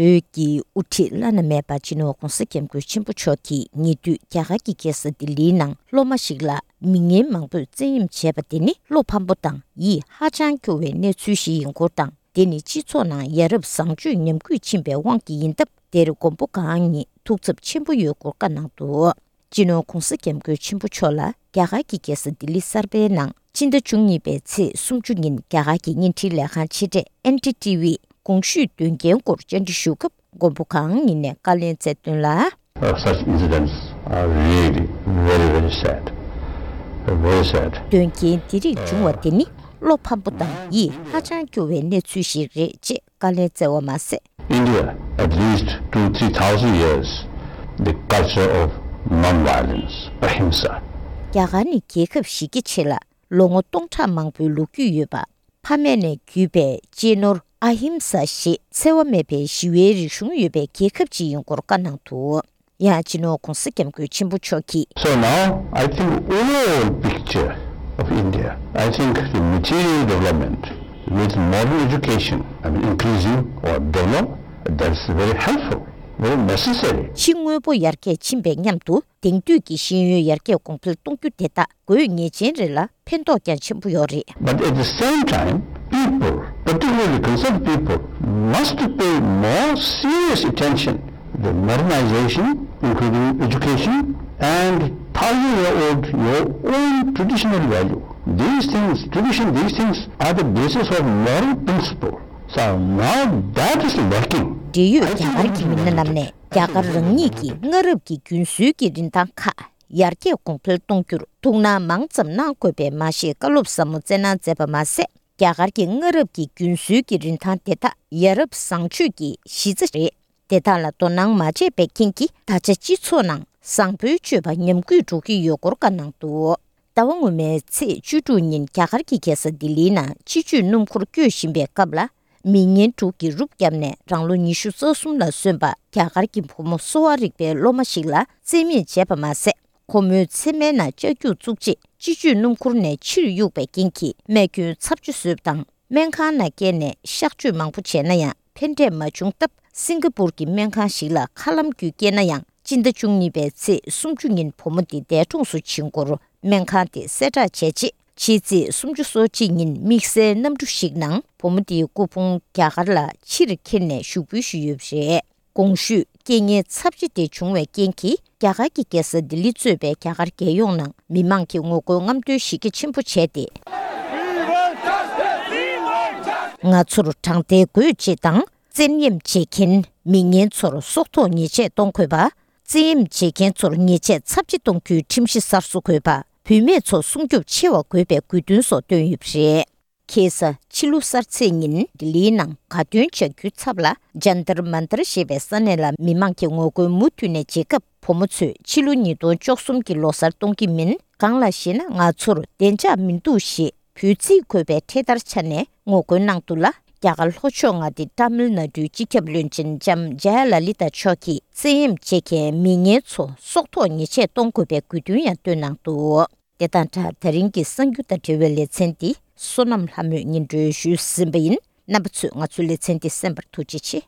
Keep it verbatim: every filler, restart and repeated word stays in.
བོད་ཀྱི་དབུ་ཁྲིད་བླ་ན་མེད་པ་སྤྱི་ནོར་༧གོང་ས་༧སྐྱབས་མགོན་ཆེན་པོ་མཆོག་གིས་ཉེ་དུས་རྒྱ་གར་གྱི་རྒྱལ་ས་ལྡི་ལིའི་ནང་སློབ་མ་ཞིག་ལ་མི་ངན་མང་པོས་བཙན་གཡེམ་བྱས་པ་དེ་ནི་བློ་ཕམ་པོ་དང་ཡིད་ཧ་ཅང་སྐྱོ་བའི་གནས་ཚུལ་ཞིག་ཡིན་སྐོར་དང་། དེ་ནི་སྤྱི་ཚོགས་ནང་ཡ་རབས་བཟང་སྤྱོད་ཉམས་རྒུད་ཕྱིན་པའི་དབང་གིས་ཡིན་སྟབས། དེར་མགོན་པོ་གང་ཉིད་ཐུགས་འཚབ་ཆེན་པོ་ཡོད་སྐོར་བཀའ་གནང་འདུག་སྤྱི་ནོར་༧གོང་ས་༧སྐྱབས་མགོན་ཆེན་པོ་མཆོག་ལ་རྒྱ་གར་གྱི་རྒྱལ་ས་ལྡི་ལི་གསར་པའི་ནང་སྤྱི་ཟླ་བཅུ་གཉིས་པའི་ཚེས་སུམ་ཅུ་ཉིན་རྒྱ་གར་གྱི་བརྙན་འཕྲིན་ལས་ཁང་ཆེ་གྲས་ཨེན་ཌི་ཊི་ཝི་གོང་ཞུས་དོན་རྐྱེན་སྐོར་བཅར་འདྲི་ཞུ་སྐབས། མགོན་པོ་གང་ཉིད་ནས་བཀའ་ལན་སྩལ་དོན་ལ། Uh, such incidents are really very, very sad. Very sad. དོན་རྐྱེན་འདི་རིགས་བྱུང་བ་དེ་ནི་བློ་ཕམ་པོ་དང་ཡིད་ཧ་ཅང་སྐྱོ་བའི་གནས་ཚུལ་ཞིག་རེད་ཅེས་བཀའ་ལན་སྩལ་བ་མ་ཟད། India, at least two, three thousand years, the culture of non-violence, ahimsa. རྒྱ་གར་ནི་རྒྱལ་ཁབ་ཞིག་གི་ཆེད་ལ་ལོ་ངོ་སྟོང་ཕྲག་མང་པོའི་ལོ་རྒྱུས་ཡོད་པ། ཕ་མེས་ནས་བརྒྱུད་པའི་གཅེས་ནོར་ཨ་ཧིམ་ས་ཞེས་འཚེ་བ་མེད་པའི་ཞི་བའི་རིག་གཞུང་ཡོད་པའི་རྒྱལ་ཁབ་ཅིག་ཡིན་སྐོར་བཀའ་གནང་འདུག་ཡང་སྤྱི་ནོར་༧གོང་ས་༧སྐྱབས་མགོན་ཆེན་པོ་མཆོག་གིས། So now, I think overall picture of India, I think the material development with modern education, I mean, increasing or develop, that's very helpful, very necessary. ཕྱི་དངོས་པོ་ཡར་རྒྱས་ཕྱིན་པའི་མཉམ་དུ། དེང་དུས་ཀྱི་ཤེས་ཡོན་ཡར་རྒྱས་གོང་འཕེལ་གཏོང་རྒྱུ་དེ་དག་དགོས་ངེས་ཅན་རེད་ལ། ཕན་ཐོགས་ཀྱང་ཆེན་པོ་ཡོད་རེད། But at the same time, people, particularly concerned people, must pay more serious attention to modernization, including education, and thousand-year-old your own traditional value. These things, tradition, these things are the basis of moral principle. So now that is lacking. འབྲེལ་ཡོད་རྒྱ་གར་གྱི་མི་སྣ་རྣམས་ནས་རྒྱ་གར་རང་ཉིད་ཀྱི་སྔ་རབས་ཀྱི་རྒྱུན་སྲོལ་གྱི་རིན་ཐང་ཁག་ཡར་རྒྱས་གོང་འཕེལ་གཏོང་རྒྱུར་ཐུགས་སྣང་མང་ཙམ་གནང་དགོས་པའི་མ་ཞེས་བཀའ་སློབ་ཟབ་མོ་སྩལ་གནང་མཛད་པ་མ་ཟད། རྒྱ་གར་གྱི་སྔ་རབས་ཀྱི་རྒྱུན་སྲོལ་གྱི་རིན་ཐང་དེ་དག་ཡ་རབས་བཟང་སྤྱོད་ཀྱི་གཞི་རྩ་རེད། དེ་དག་ལ་དོ་སྣང་མ་བྱས་པའི་རྐྱེན་གྱིས། ད་ཆ་སྤྱི་ཚོགས་ནང་བཟང་པོའི་སྤྱོད་པ་ཉམས་རྒུད་འགྲོ་གི་ཡོད་སྐོར་བཀའ་གནང་འདུག་ཟླ་བ་སྔོན་མའི་ཚེས་བཅུ་དྲུག་ཉིན་རྒྱ་གར་གྱི་རྒྱལ་ས་ལྡི་ལིའི་ནང་སྤྱི་སྤྱོད་སྣུམ་འཁོར་སྐྱོད་བཞིན་པའི་སྐབས་ལ། མི་ངན་དྲུག་གིས་རུབ་བརྒྱབ་ནས་རང་ལོ་ཉི་ཤུ་རྩ་གསུམ་ལ་སོན་པ་རྒྱ་གར་གྱི་བུ་མོ་གསོ་བ་རིག་པའི་སློབ་མ་ཞིག་ལ་བཙན་གཡེམ་བྱས་པ་མ་ཟད། ཁོ་མོའི་མཚན་སྨད་ནང་ལྕགས་རྒྱུག་བཙུགས་རྗེས། སྤྱི་སྤྱོད་སྣུམ་འཁོར་ནས་ཕྱིར་གཡུགས་པའི་རྐྱེན་གྱིས་རྨས་སྐྱོན་ཚབས་ཆེ་བཟོས་པ་དང་། སྨན་ཁང་ནང་བསྐྱལ་ནས་གཤག་བཅོས་མང་པོ་བྱས་ན་ཡང་ཕན་འབྲས་མ་བྱུང་སྟབས། སིང་ག་པུར་གྱི་སྨན་ཁང་ཞིག་ལ་མཁའ་ལམ་བརྒྱུད་བསྐྱལ་ན་ཡང་། སྤྱི་ཟླ་བཅུ་གཉིས་པའི་ཚེས་སུམ་ཅུ་ཉིན་བུ་མོ་དེ་འདས་གྲོངས་སུ་ཕྱིན་སྐོར་སྨན་ཁང་དེས་གསལ་བསྒྲགས་བྱས་རྗེས། ཕྱི་ཚེས་སུམ་ཅུ་སོ་གཅིག་ཉིན་དམིགས་བསལ་གནམ་གྲུ་ཞིག་ནང་བུ་མོ་དེའི་སྐུ་ཕུང་རྒྱ་གར་ལ་ཕྱིར་འཁྱེར་ནས་ཞུགས་འབུལ་ཞུས་ཡོད་པ་རེད། གོང་ཞུས་རྐྱེན་ངན་ཚབས་ཆེ་དེ་བྱུང་བའི་རྐྱེན་གྱིས། རྒྱ་གར་གྱི་རྒྱལ་ས་ལྡི་ལི་གཙོས་པའི་རྒྱ་གར་རྒྱལ་ཡོངས་ནང་མི་མང་གིས་ངོ་རྒོལ་རྔམ་སྟོན་གཞི་རྒྱ་ཆེན་པོ་བྱས་ཏེ། ང་ཚོར་དྲང་བདེན་དགོས་ཅེས་དང་། བཙན་གཡེམ་བྱེད་མཁན་མི་ངན་ཚོར་སྲོག་ཐོག་ཉེས་ཆད་གཏོང་དགོས་པ། བཙན་གཡེམ་བྱེད་མཁན་ཚོར་ཉེས་ཆད་ཚབས་ཆེ་གཏོང་རྒྱུའི་ཁྲིམས་གཞི་གསར་བཟོ་དགོས་པ། བུད་མེད་ཚོ་སྲུང་སྐྱོབ་ཆེ་བ་དགོས་པའི་དགོས་འདུན་སོགས་བཏོན་ཡོད་པ་རེད། ཁ་སང་ཕྱི་ལོ་གསར་ཚེས་ཉིན་ལྡི་ལིའི་ནང་དགའ་སྟོན་བྱ་རྒྱུའི་ཚབ་ལ་ཇན་ཏར་མན་ཏར་ཞེས་པའི་ས་གནས་ལ་མི་མང་གིས་ངོ་རྒོལ་མུ་མཐུད་ནས་བྱེད་སྐབས། བུ་མོ་ཚོས་ཕྱི་ལོ་ཉིས་སྟོང་བཅུ་གསུམ་གྱི་ལོ་གསར་གཏོང་གི་མིན། གང་ལགས་ཤེ་ན་ང་ཚོར་བདེ་འཇགས་མི་འདུག་ཞེས་འབོད་ཚིག་འཁོད་པའི་འཕྲེད་དར་འཕྱར་ནས་ངོ་རྒོལ་གནང་འདུག་ལ། རྒྱ་གར་ལྷོ་ཕྱོགས་མངའ་སྡེ་ཏཱ་མིལ་ནཱ་ཌུའི་སྤྱི་ཁྱབ་བློན་ཆེན་ལྕམ་ཇཱ་ཡ་ལ་ལི་ཏཱ་མཆོག་གིས་བཙན་གཡེམ་བྱེད་མཁན་མི་ངན་ཚོ་སྲོག་ཐོག་ཉེས་ཆད་གཏོང་དགོས་པའི་དགོས་འདུན་ཡང་བཏོན་གནང་འདུག་དེ་དང་སྦྲགས། ད་རིང་གི་གསར་འགྱུར་དང་འབྲེལ་བའི་ལེ་ཚན་འདི་བསོད་ནམས་ལྷ་མོས་སྙན་སྒྲོན་ཞུས་ཟིན་པ་ཡིན། རྣམ་པ་ཚོས་ང་ཚོའི་ལེ་ཚན་འདི་གསན་པར་ཐུགས་རྗེ་ཆེ།